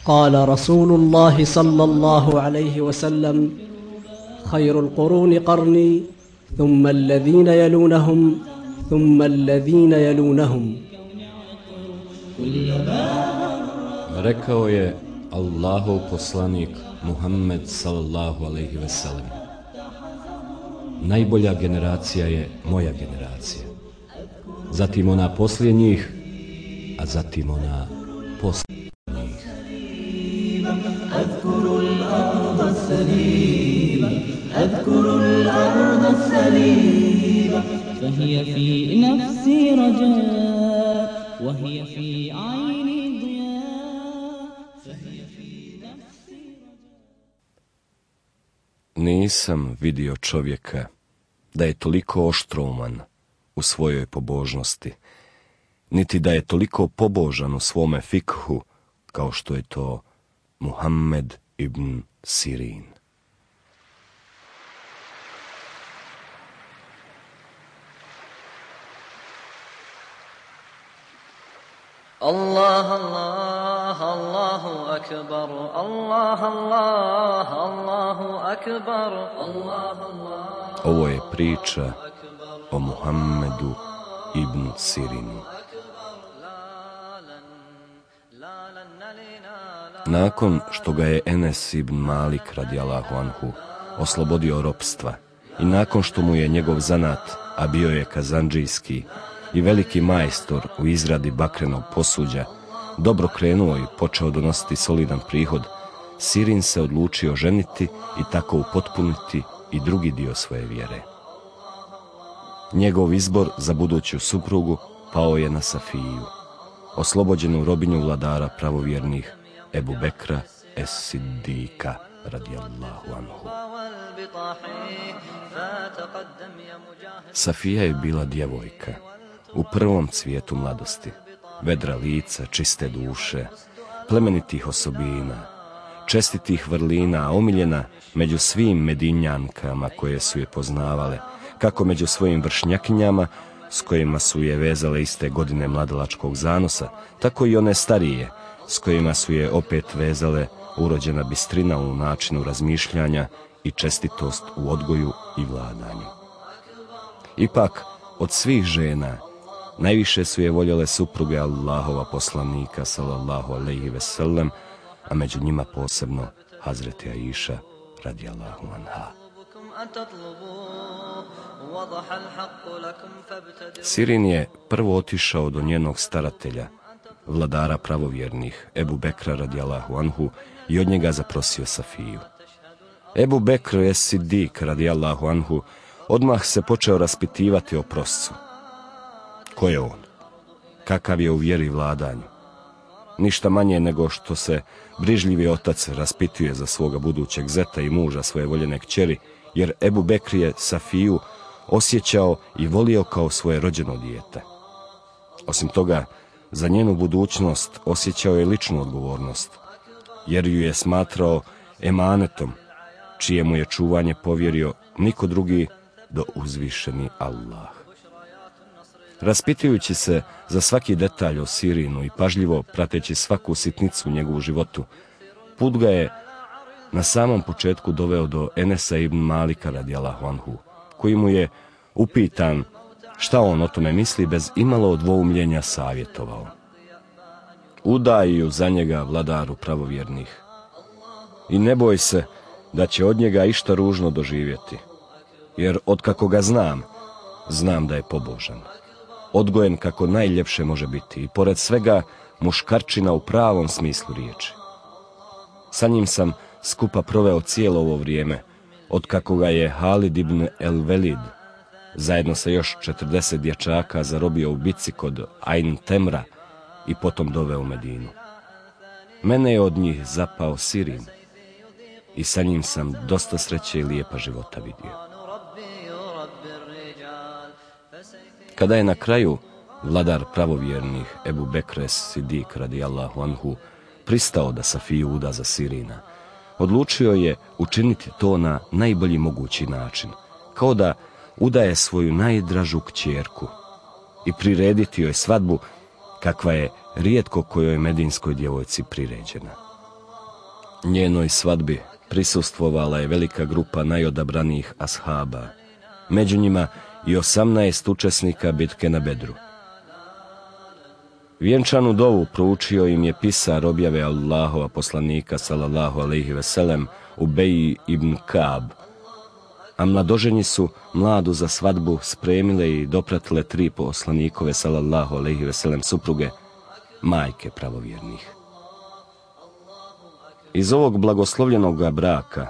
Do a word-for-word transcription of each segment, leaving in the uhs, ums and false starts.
قال رسول الله صلى الله عليه وسلم خير القرون قرني ثم الذين يلونهم ثم الذين يلونهم. Rekao je Allahov poslanik Muhammed sallallahu alejhi ve sellem: najbolja generacija je moja generacija, zatim ona poslije njih, a zatim ona poslije njih. أذكر الأرض السليمة أذكر الأرض السليمة فهي في نفسي رجاء وهي في عيني ضياء فهي في نفسي رجاء. Nisam vidio čovjeka da je toliko oštrouman u svojoj pobožnosti, niti da je toliko pobožan u svome fikhu kao što je to Muhammed ibn Sirin. Allah, Allah, Allahu akbar, Allah, Allah, Allahu akbar, Allah, Allah. Ovo je priča o Muhammedu ibn Sirinu. Nakon što ga je Enes ibn Malik radijallahu anhu oslobodio ropstva i nakon što mu je njegov zanat, a bio je kazandžijski i veliki majstor u izradi bakrenog posuđa, dobro krenuo i počeo donositi solidan prihod, Sirin se odlučio ženiti i tako upotpuniti i drugi dio svoje vjere. Njegov izbor za buduću suprugu pao je na Safiju, oslobođenu robinju vladara pravovjernih Ebu Bekra es-Sidika radijallahu anhu. Safija je bila djevojka u prvom cvijetu mladosti, vedra lica, čiste duše, plemenitih osobina, čestitih vrlina, omiljena među svim Medinjankama koje su je poznavale, kako među svojim vršnjakinjama s kojima su je vezale iste godine mladalačkog zanosa, tako i one starije s kojima su je opet vezale urođena bistrina u načinu razmišljanja i čestitost u odgoju i vladanju. Ipak, od svih žena, najviše su je voljele supruge Allahova poslanika sallallahu alejhi ve sellem, a među njima posebno Hazreti Aisha radijallahu anha. Sirin je prvo otišao do njenog staratelja, vladara pravovjernih, Ebu Bekra radijallahu anhu, i od njega zaprosio Safiju. Ebu Bekr es-Sidik radijallahu anhu odmah se počeo raspitivati o proscu. Ko je on? Kakav je u vjeri i vladanju? Ništa manje nego što se brižljivi otac raspituje za svoga budućeg zeta i muža svoje voljene kćeri, jer Ebu Bekr je Safiju osjećao i volio kao svoje rođeno dijete. Osim toga, za njenu budućnost osjećao je ličnu odgovornost, jer ju je smatrao emanetom, čije mu je čuvanje povjerio niko drugi do uzvišeni Allah. Raspitujući se za svaki detalj o Sirinu i pažljivo prateći svaku sitnicu u njegovu životu, put ga je na samom početku doveo do Enesa ibn Malika radijallahu anhu, koji mu je upitan šta on o tome misli, bez imalo dvoumljenja savjetovao. Udaj ju za njega, vladaru pravovjernih, i ne boj se da će od njega išta ružno doživjeti, jer otkako ga znam, znam da je pobožan, odgojen kako najljepše može biti i pored svega muškarčina u pravom smislu riječi. Sa njim sam skupa proveo cijelo ovo vrijeme, otkako ga je Halid ibn el-Velid zajedno sa još četrdeset dječaka zarobio u bici kod Ain Temra i potom doveo u Medinu. Mene je od njih zapao Sirin i sa njim sam dosta sreće i lijepa života vidio. Kada je na kraju vladar pravovjernih Ebu Bekr es-Sidik radijallahu anhu pristao da Safiju uda za Sirina, odlučio je učiniti to na najbolji mogući način, kao da udaje svoju najdražu kćerku i prirediti joj svadbu kakva je rijetko kojoj medinskoj djevojci priređena. Njenoj svadbi prisustvovala je velika grupa najodabranijih ashaba, među njima i osamnaest učesnika bitke na Bedru. Vjenčanu dovu proučio im je pisar objave Allahova poslanika sallallahu alejhi ve sellem Ubej ibn Kab, a mladoženji su mladu za svadbu spremile i dopratile tri poslanikove sallallahu alejhi ve sellem supruge, majke pravovjernih. Iz ovog blagoslovljenog braka,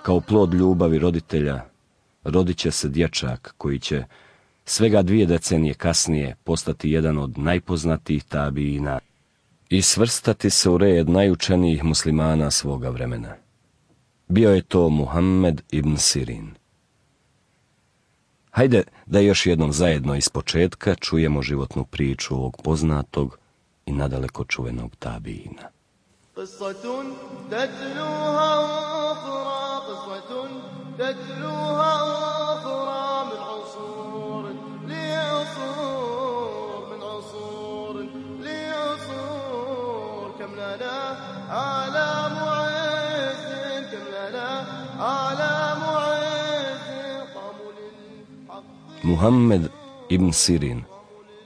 kao plod ljubavi roditelja, rodit će se dječak koji će svega dvije decenije kasnije postati jedan od najpoznatijih tabiina i svrstati se u red najučenijih muslimana svoga vremena. Bio je to Muhammed ibn Sirin. Hajde da još jednom zajedno iz početka čujemo životnu priču ovog poznatog i nadaleko čuvenog tabiina. قصة تتلوها أخرى قصة تتلوها أخرى من عصور لعصور من عصور لعصور كم لنا أعلام عز كم لنا أعلام عز قاموا للحق. Muhammed ibn Sirin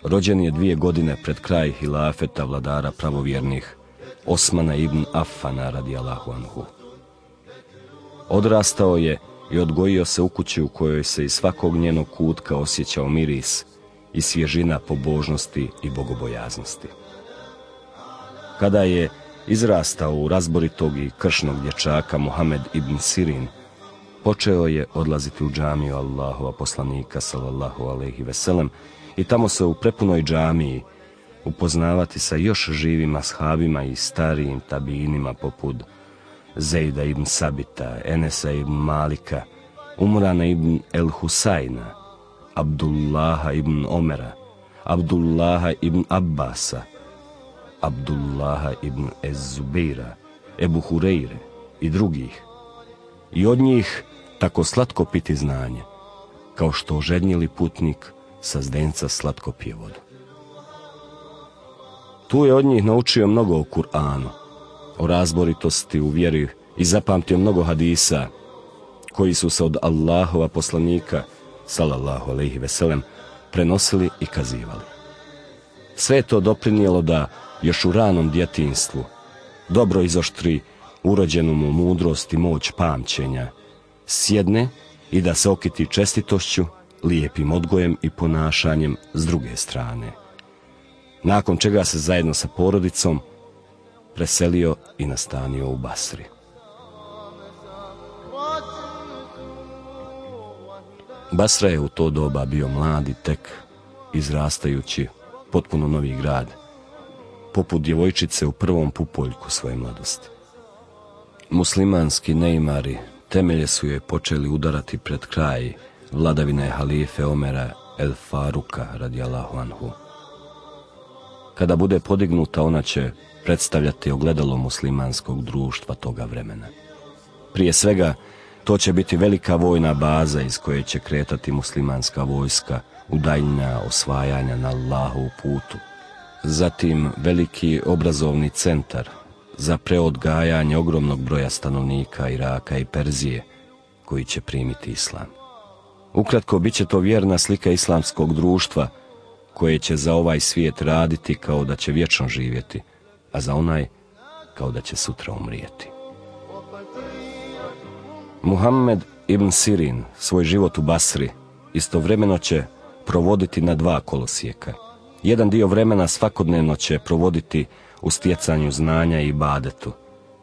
rođen je dvije godine pred kraj hilafeta vladara pravovjernih Osmana ibn Affana radijallahu anhu. Odrastao je i odgojio se u kući u kojoj se iz svakog njenog kutka osjećao miris i svježina pobožnosti i bogobojaznosti. Kada je izrastao u razboritog i kršnog dječaka Muhammed ibn Sirin, počeo je odlaziti u džamiju Allahova poslanika sallallahu alejhi ve sellem i tamo se u prepunoj džamiji upoznavati sa još živim ashabima i starijim tabiinima poput Zejda ibn Sabita, Enesa ibn Malika, Umrana ibn el-Husajna, Abdullaha ibn Omera, Abdullaha ibn Abbasa, Abdullaha ibn Ez-Zubeira, Ebu Hureyre i drugih. I od njih tako slatko piti znanje, kao što ožednjeli putnik sa zdenca slatko pije vodu. Tu je od njih naučio mnogo o Kur'anu, o razboritosti u vjeri i zapamtio mnogo hadisa koji su se od Allahova poslanika sallallahu alejhi ve sellem prenosili i kazivali. Sve je to doprinijelo da još u ranom djetinjstvu dobro izoštri urođenu mu mudrost i moć pamćenja, sjedne i da se okiti čestitošću, lijepim odgojem i ponašanjem s druge strane. Nakon čega se zajedno sa porodicom preselio i nastanio u Basri. Basra je u to doba bio mladi, tek izrastajući, potpuno novi grad, poput djevojčice u prvom pupoljku svoje mladosti. Muslimanski neimari temelje su je počeli udarati pred kraj vladavine halife Omera el Faruka radijallahu anhu. Kada bude podignuta, ona će predstavljati ogledalo muslimanskog društva toga vremena. Prije svega, to će biti velika vojna baza iz koje će kretati muslimanska vojska u daljnja osvajanja na Allahovu putu. Zatim veliki obrazovni centar za preodgajanje ogromnog broja stanovnika Iraka i Perzije koji će primiti islam. Ukratko, bit će to vjerna slika islamskog društva koje će za ovaj svijet raditi kao da će vječno živjeti, a za onaj kao da će sutra umrijeti. Muhammed ibn Sirin svoj život u Basri istovremeno će provoditi na dva kolosijeka. Jedan dio vremena svakodnevno će provoditi u stjecanju znanja i ibadetu,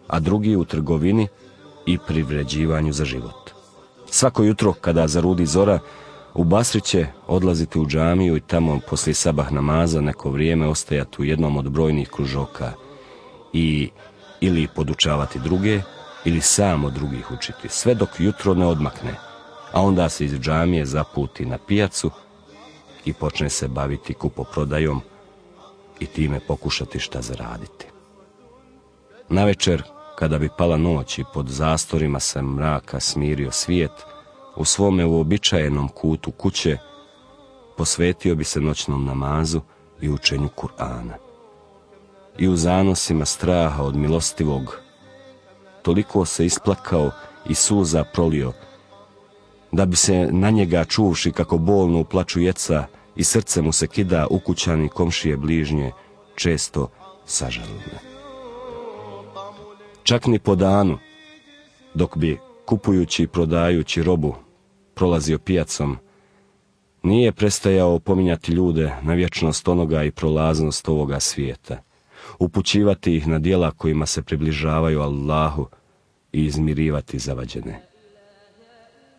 a drugi u trgovini i privređivanju za život. Svako jutro kada zarudi zora, u Basri će odlaziti u džamiju i tamo poslije sabah namaza neko vrijeme ostajati u jednom od brojnih kružoka i ili podučavati druge, ili sam od drugih učiti, sve dok jutro ne odmakne, a onda se iz džamije zaputi na pijacu i počne se baviti kupoprodajom i time pokušati šta zaraditi. Navečer, kada bi pala noć i pod zastorima se mraka smirio svijet, u svome uobičajenom kutu kuće posvetio bi se noćnom namazu i učenju Kur'ana. I u zanosima straha od milostivog toliko se isplakao i suza prolio, da bi se na njega čuvši kako bolno uplaču jeca i srce mu se kida, ukućani komšije bližnje često sažalile. Čak ni po danu, dok bi kupujući i prodajući robu prolazio pijacom, nije prestajao pominjati ljude na vječnost onoga i prolaznost ovoga svijeta, upućivati ih na djela kojima se približavaju Allahu i izmirivati zavađene.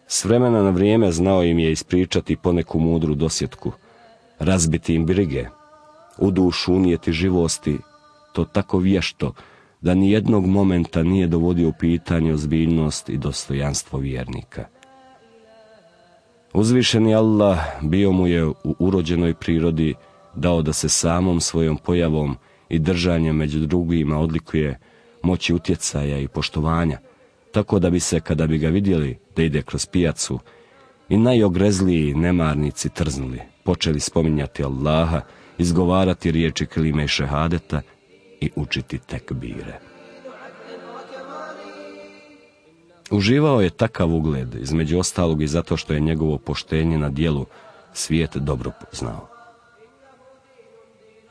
S vremena na vrijeme znao im je ispričati poneku mudru dosjetku, razbiti im brige, u dušu unijeti živosti, to tako vješto da ni jednog momenta nije dovodio u pitanje ozbiljnost i dostojanstvo vjernika. Uzvišeni Allah bio mu je u urođenoj prirodi dao da se samom svojom pojavom i držanjem među drugima odlikuje moći utjecaja i poštovanja, tako da bi se, kada bi ga vidjeli da ide kroz pijacu, i najogrezliji nemarnici trznuli, počeli spominjati Allaha, izgovarati riječi kelime i šehadeta i učiti tekbire. Uživao je takav ugled, između ostalog i zato što je njegovo poštenje na djelu svijet dobro poznao.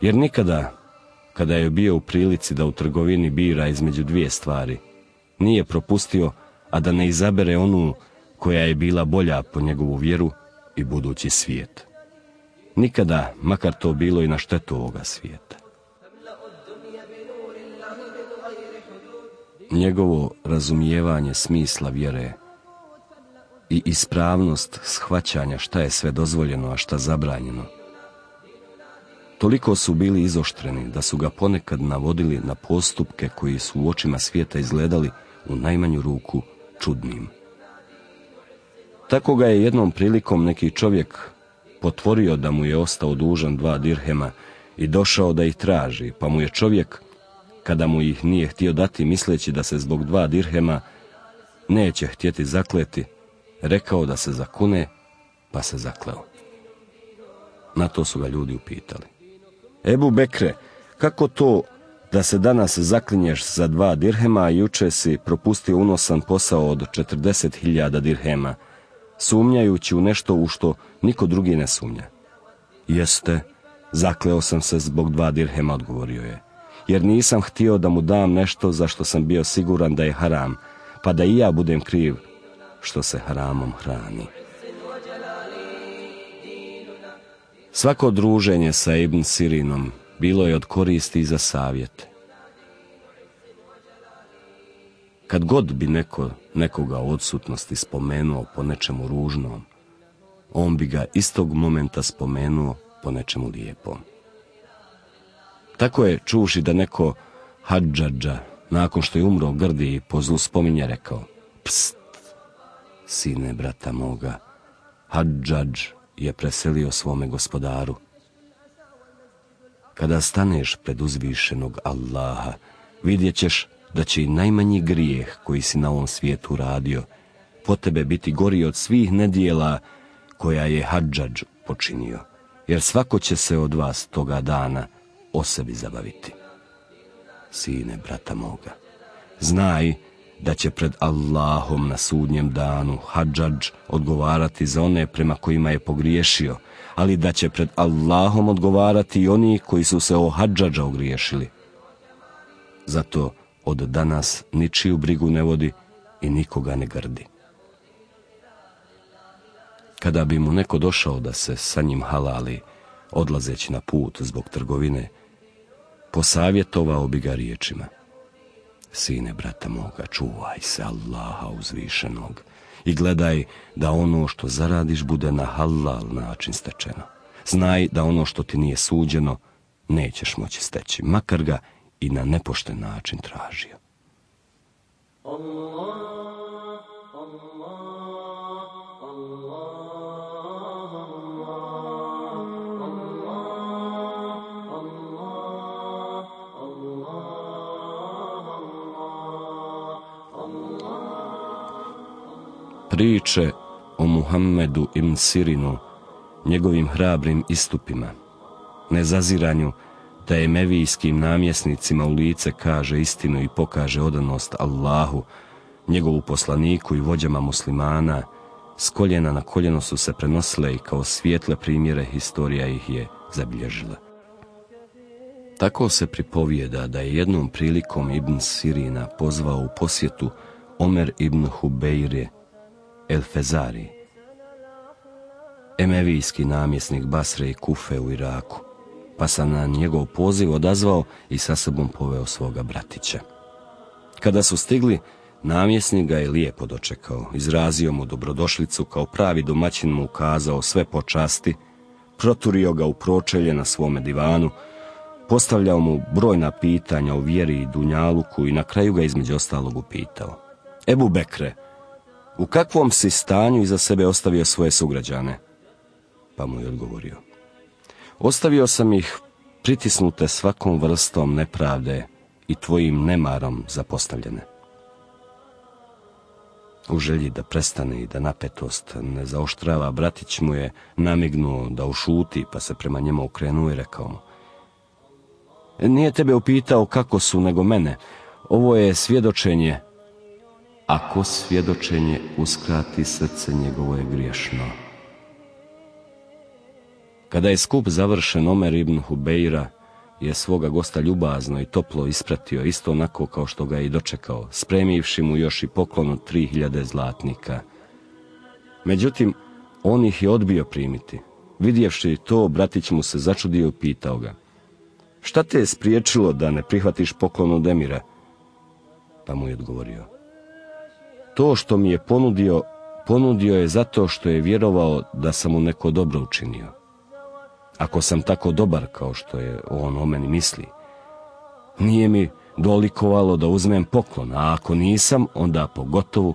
Jer nikada, kada je bio u prilici da u trgovini bira između dvije stvari, nije propustio, a da ne izabere onu koja je bila bolja po njegovu vjeru i budući svijet. Nikada, makar to bilo i na štetu ovoga svijeta. Njegovo razumijevanje smisla vjere i ispravnost shvaćanja šta je sve dozvoljeno, a šta zabranjeno, toliko su bili izoštreni da su ga ponekad navodili na postupke koji su u očima svijeta izgledali u najmanju ruku čudnim. Tako ga je jednom prilikom neki čovjek potvorio da mu je ostao dužan dva dirhema i došao da ih traži, pa mu je čovjek, kada mu ih nije htio dati misleći da se zbog dva dirhema neće htjeti zakleti, rekao da se zakune, pa se zakleo. Na to su ga ljudi upitali: Ebu Bekre, kako to da se danas zaklinješ za dva dirhema, a juče si propustio unosan posao od četrdeset hiljada dirhema, sumnjajući u nešto u što niko drugi ne sumnja? Jeste, zakleo sam se zbog dva dirhema, odgovorio je, jer nisam htio da mu dam nešto za što sam bio siguran da je haram, pa da i ja budem kriv što se haramom hrani. Svako druženje sa Ibn Sirinom bilo je od koristi za savjet. Kad god bi neko nekoga u odsutnosti spomenuo po nečemu ružnom, on bi ga istog momenta spomenuo po nečemu lijepom. Tako je, čuvši da neko Hadžadža, nakon što je umro grdi i po zlu spominje, rekao: Pst, sine brata moga, Hadžadž je preselio svome gospodaru. Kada staneš pred uzvišenog Allaha, vidjet ćeš da će i najmanji grijeh koji si na ovom svijetu radio po tebe biti gori od svih nedjela koja je Hadžadž počinio, jer svako će se od vas toga dana o sebi zabaviti. Sine brata moga, znaj da će pred Allahom na sudnjem danu Hadžadž odgovarati za one prema kojima je pogriješio, ali da će pred Allahom odgovarati i oni koji su se o Hadžadža ogriješili. Zato od danas ničiju brigu ne vodi i nikoga ne grdi. Kada bi mu neko došao da se sa njim halali, odlazeći na put zbog trgovine, posavjetovao bi ga riječima: Sine brata moga, čuvaj se Allaha uzvišenog i gledaj da ono što zaradiš bude na halal način stečeno. Znaj da ono što ti nije suđeno nećeš moći steći, makar ga i na nepošten način tražio. Allah, Allah, Allah. Priče o Muhammedu ibn Sirinu, njegovim hrabrim istupima, nezaziranju da emevijskim namjesnicima u lice kaže istinu i pokaže odanost Allahu, njegovu poslaniku i vođama muslimana, s koljena na koljeno su se prenosile i kao svijetle primjere historija ih je zabilježila. Tako se pripovijeda da je jednom prilikom Ibn Sirina pozvao u posjetu Omer ibn Hubeir el-Fezari, emevijski namjesnik Basre i Kufe u Iraku, pa sam na njegov poziv odazvao i sa sobom poveo svoga bratića. Kada su stigli, namjesnik ga je lijepo dočekao, izrazio mu dobrodošlicu, kao pravi domaćin mu ukazao sve počasti, proturio ga u pročelje na svome divanu, postavljao mu brojna pitanja o vjeri i dunjaluku i na kraju ga između ostalog upitao: Ebu Bekre, u kakvom si stanju iza sebe ostavio svoje sugrađane? Pa mu je odgovorio: ostavio sam ih pritisnute svakom vrstom nepravde i tvojim nemarom zapostavljene. U želji da prestane i da napetost ne zaoštrava, bratić mu je namignuo da ušuti, pa se prema njemu okrenuo i rekao mu: nije tebe upitao kako su, nego mene. Ovo je svjedočenje. Ako svjedočenje uskrati, srce njegovo je griješno. Kada je skup završen, Omer ibn Hubeira je svoga gosta ljubazno i toplo ispratio, isto onako kao što ga je i dočekao, spremivši mu još i poklon od tri hiljade zlatnika. Međutim, on ih je odbio primiti. Vidjevši to, bratić mu se začudio i pitao ga: šta te je spriječilo da ne prihvatiš poklon od emira? Pa mu je odgovorio: to što mi je ponudio, ponudio je zato što je vjerovao da sam mu neko dobro učinio. Ako sam tako dobar kao što je on o meni misli, nije mi dolikovalo da uzmem poklon, a ako nisam, onda pogotovo,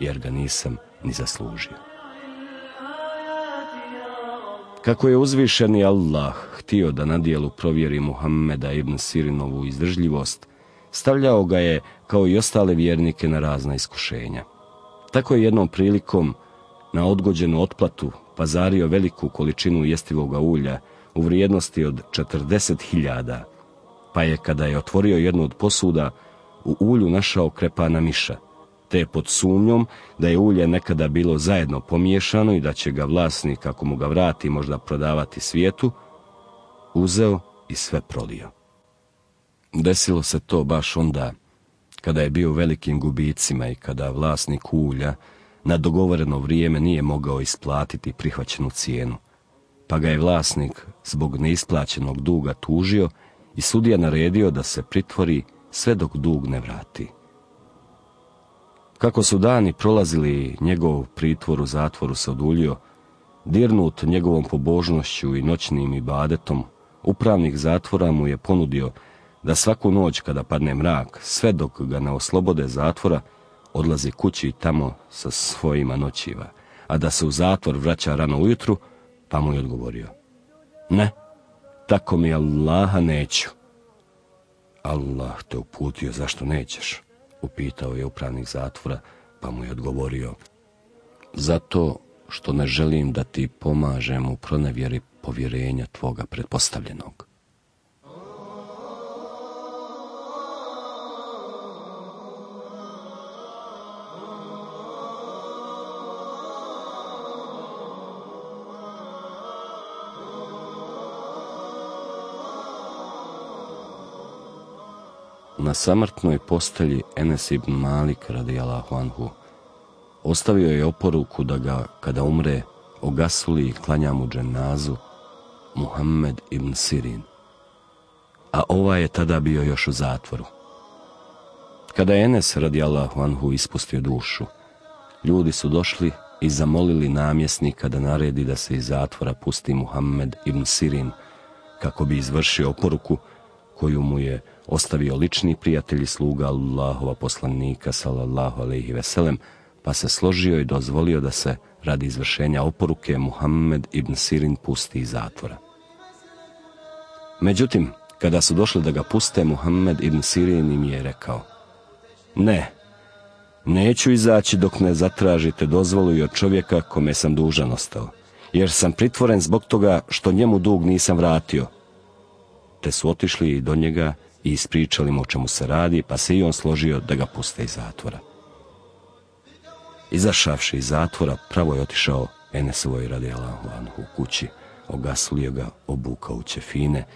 jer ga nisam ni zaslužio. Kako je uzvišeni Allah htio da na dijelu provjeri Muhammeda ibn Sirinovu izdržljivost, stavljao ga je, kao i ostale vjernike, na razna iskušenja. Tako je jednom prilikom na odgođenu otplatu pazario veliku količinu jestivoga ulja u vrijednosti od četrdeset hiljada, pa je, kada je otvorio jednu od posuda, u ulju našao krepana miša, te je pod sumnjom da je ulje nekada bilo zajedno pomiješano i da će ga vlasnik, ako mu ga vrati, možda prodavati svijetu, uzeo i sve prolio. Desilo se to baš onda kada je bio u velikim gubicima i kada vlasnik ulja na dogovoreno vrijeme nije mogao isplatiti prihvaćenu cijenu, pa ga je vlasnik zbog neisplaćenog duga tužio i sudija naredio da se pritvori sve dok dug ne vrati. Kako su dani prolazili, njegov pritvor u zatvoru se oduljio. Dirnut njegovom pobožnošću i noćnim ibadetom, upravnik zatvora mu je ponudio da svaku noć kada padne mrak, sve dok ga ne oslobode zatvora, odlazi kući i tamo sa svojima noćiva, a da se u zatvor vraća rano ujutru, pa mu je odgovorio: ne, tako mi Allaha neću. Allah te uputio, zašto nećeš? Upitao je upravnik zatvora, pa mu je odgovorio: zato što ne želim da ti pomažem u pronevjeri povjerenja tvoga pretpostavljenog. Na samrtnoj postelji Enes ibn Malik radijallahu anhu ostavio je oporuku da ga, kada umre, ogasuli i klanja mu dženazu Muhammed ibn Sirin, a ovaj je tada bio još u zatvoru. Kada je Enes radijallahu anhu ispustio dušu, ljudi su došli i zamolili namjesnika da naredi da se iz zatvora pusti Muhammed ibn Sirin, kako bi izvršio oporuku koju mu je ostavio lični prijatelj i sluga Allahova poslanika sallallahu alejhi ve sellem, pa se složio i dozvolio da se radi izvršenja oporuke Muhammed ibn Sirin pusti iz zatvora. Međutim, kada su došli da ga puste, Muhammed ibn Sirin im je rekao: ne, neću izaći dok ne zatražite dozvolu i od čovjeka kome sam dužan ostao, jer sam pritvoren zbog toga što njemu dug nisam vratio. te su otišli i do njega i ispričali mu o čemu se radi, pa se i on složio da ga puste iz zatvora. Izašavši iz zatvora, pravo je otišao Enesovoj radijallahu anhu kući, ogaslio ga, obukao u ćefine,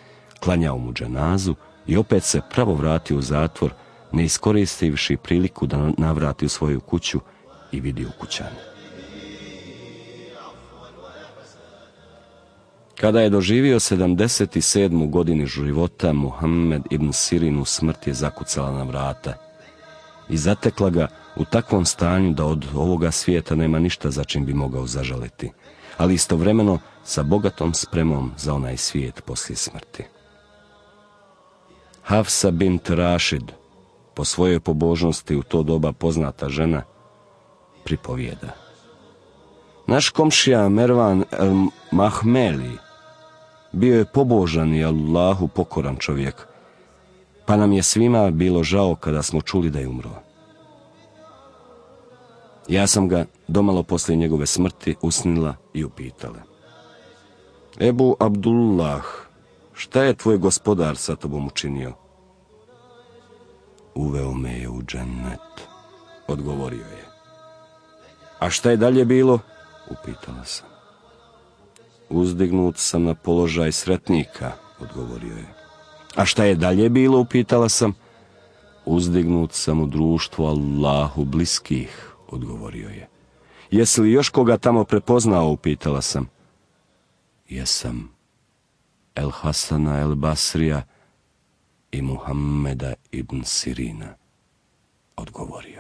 klanjao mu dženazu i opet se pravo vratio u zatvor, ne iskoristivši priliku da navrati u svoju kuću i vidi ukućane. Kada je doživio sedamdeset sedmu godinu života, Muhammed ibn Sirin u smrt je zakucala na vrata i zatekla ga u takvom stanju da od ovoga svijeta nema ništa za čim bi mogao zažaliti, ali istovremeno sa bogatom spremom za onaj svijet poslije smrti. Hafsa bint Rašid, po svojoj pobožnosti u to doba poznata žena, pripovijeda: naš komšija Mervan el Mahmeli bio je pobožan i Allahu pokoran čovjek, pa nam je svima bilo žao kada smo čuli da je umro. Ja sam ga domalo poslije njegove smrti usnila i upitala: Ebu Abdullah, šta je tvoj gospodar sa tobom učinio? Uveo me je u džennet, odgovorio je. A šta je dalje bilo? Upitala sam. Uzdignut sam na položaj sretnika, odgovorio je. A šta je dalje bilo? Upitala sam. Uzdignut sam u društvu Allahu bliskih, odgovorio je. Jesi li još koga tamo prepoznao? Upitala sam. Jesam. El Hasana el Basrija i Muhammeda ibn Sirina, odgovorio.